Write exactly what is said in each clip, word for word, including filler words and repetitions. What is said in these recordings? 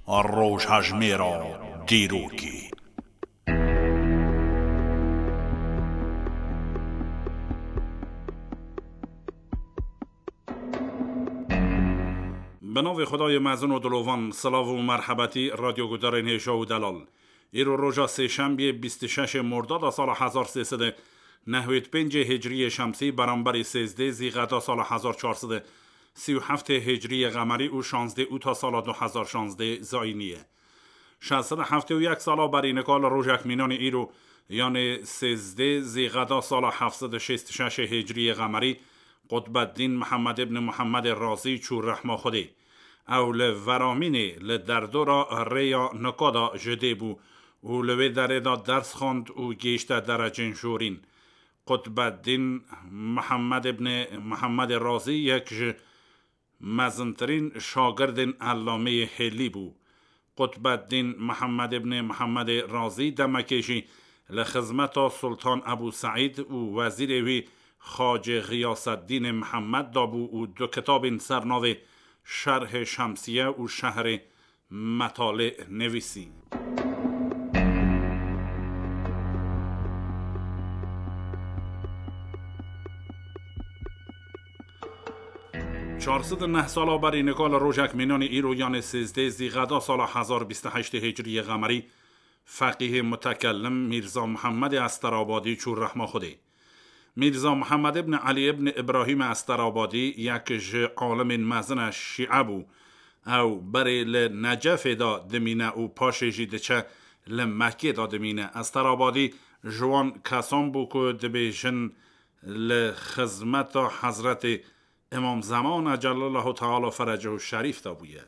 Rojhejmêra dîrokê. Bi navê Xwedayê mezin û dilovan, silav û merhebetî radyogudarên hêja û delal. Îro roja sêşembiyê bîst û şeş Mordada sala hezar sê sed û nehwêd pêncê Hicriyê Şemsî, beramberî sêzdê Zîqeda sala hezar çar sed û sî û heftê Hicriyê Qemerî û şanzdê Ûta sala du hezar şanzdê Zayînî ye. Şeş sed û heftê û yek sala berî nika li rojek mînanî îro, yanê sêzdê Zîqeda sala heft sed û şêst û şeş Hicriyê Qemerî, Qutbeddîn Mihemed ibn Muhemedê Razî çû rehma Xwedê. Ew li Veramînê li derdora rêya Nika de ji dê bû û li wê derê de ders xwend û gêşte derecên jorîn. Qutbeddîn Mihemed ibn Muhemedê Razî yek ji mezintirîn şagirdên Ellameyê Hêlî bû. Qutbeddîn Mihemed ibn Muhemedê Razî demekê jî li xizmeta Sultan Ebû Seîd û wezîrê wî Xacê Xiyaseddînê Mihemed dabû û du kitabên ser navê Şerhê Şemsiye û Şehrê Metalê nivîsî. Çar sed û neh sala berî nika li rojek mînanî îro, yanê sêzdê Zîqeda sala hezar bîst û heştê Hicriyê Qemerî, feqîhê mutekellim Mîrza Muhemmedê Esterabadî çû rehma Xwedê. Mîrza Muhammed ibn Elî ibn Îbrahîm Esterabadî yek ji alimên mezin e, şîe bû. Ew berê li Necefê de dimîne û paşê jî diçe li Mekkê de dimîne. Esterabadî ji wan kesan bû ku dibêjin li xizmeta Hezretê Îmam Zeman Ecellallahu Teala Ferecehu Şerîf de bûye.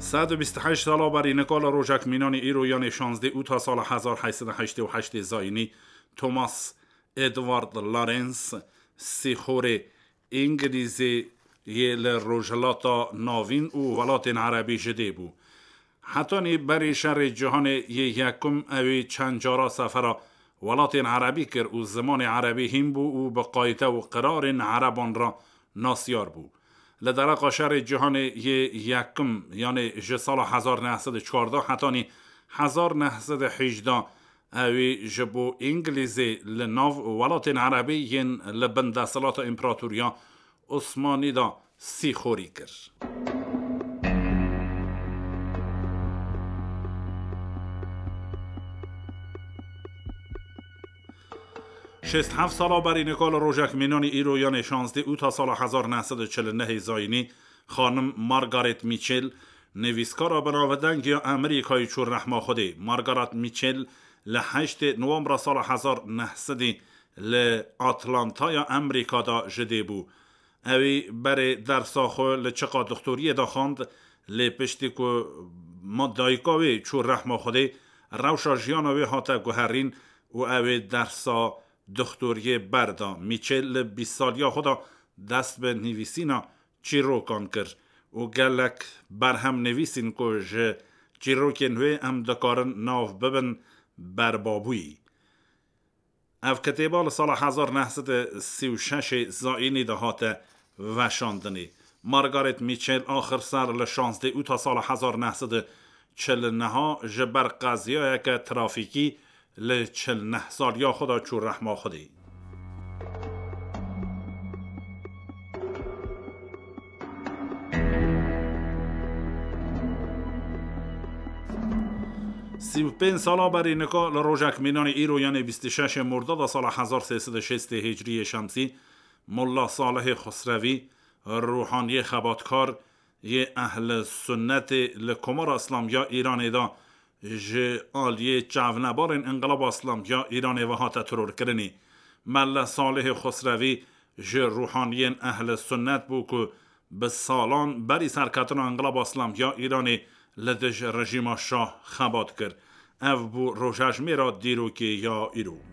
Sed û bîst û heşt sala berî nika li rojek mînanî îro, yanê şanzdê Ûta sala hezar heyt sed û heştê û heştê Zayînî, Thomas Edward Lawrence, sîxorê Îngilîzê yê li Rojhilata Navîn û welatên Erebî ji dê bû. Hetanî berî şerê cîhanê yê yekum ewî çend cara sefera welatên Erebî kir û zimanê Erebî hîn bû û bi qayde û qirarên Ereban re nasyar bû. Li dereqa şerê cîhanê yê yekim, yanê ji sala hezar neh sed û çardeh hetanî hezar neh sed û hejdeh, ewî ji bo Îngilîzê li nav welatên Erebî yên li bin desthilata Împeratoriya Osmanî de sîxorî kir. Şêst heft sala berî nika li rojek mînanî îro, yanê şanzdê Ûta sala hezar neh sed û çil û nehê Zayînî, xanim Margaret Mitchell, nivîskara binavdeng ya Amerîkayê çû rehma Xwedê. Margaret Mitchell li heştê Nowembra sala hezar neh sedî li Atlantaya Amerîka de ji dê bû. Ewî berê dersa xwe li çiqa dixtoriyê de xwend, lê piştî ku ma-, dayika wê çû rehma Xwedê, rewşa jiyana wê hate guherîn û ew ê dersa dixtoriyê berda. Mîçel li bîst saliya xwe de dest bi nivîsîna çîrokan kir û gelek berhem nivîsîn ku ji çîrokên wê em dikarin nav bibin berbabûyî. Ev kitêba li sala hezar neh sed û sî û şeş Zayînî de hate veşandinê. Margaret Mitchell axir ser li şanzdeh Ûta sala hezar neh sed û çil û neh ji ber qeziyayeke trafîkî li çil neh saliya xwe de çû rehma Xwedê. Sî û pênc sala berî nika li rojek mînanî îro, yanê bîst û şeş Mordada sala hezar sê sed û şêst Hicriyê Şemsî, Molla Salihê Xusrevî, ruhaniyê xebatkar yê Ehl Sunnetê li Komara Îslamî ya Îranê de ji aliyê çavnebarên Înqilaba Îslamî ya Îranê ve hate terorkirinê. Melle Salihê Xusrevî ji ruhaniyên Ehl Sunnet bû ku bi salan berî serketina Înqilaba Îslamî ya Îranê li dij rejîma Şah xebat kir. Ev bû rojejmêra dîrokê ya îro.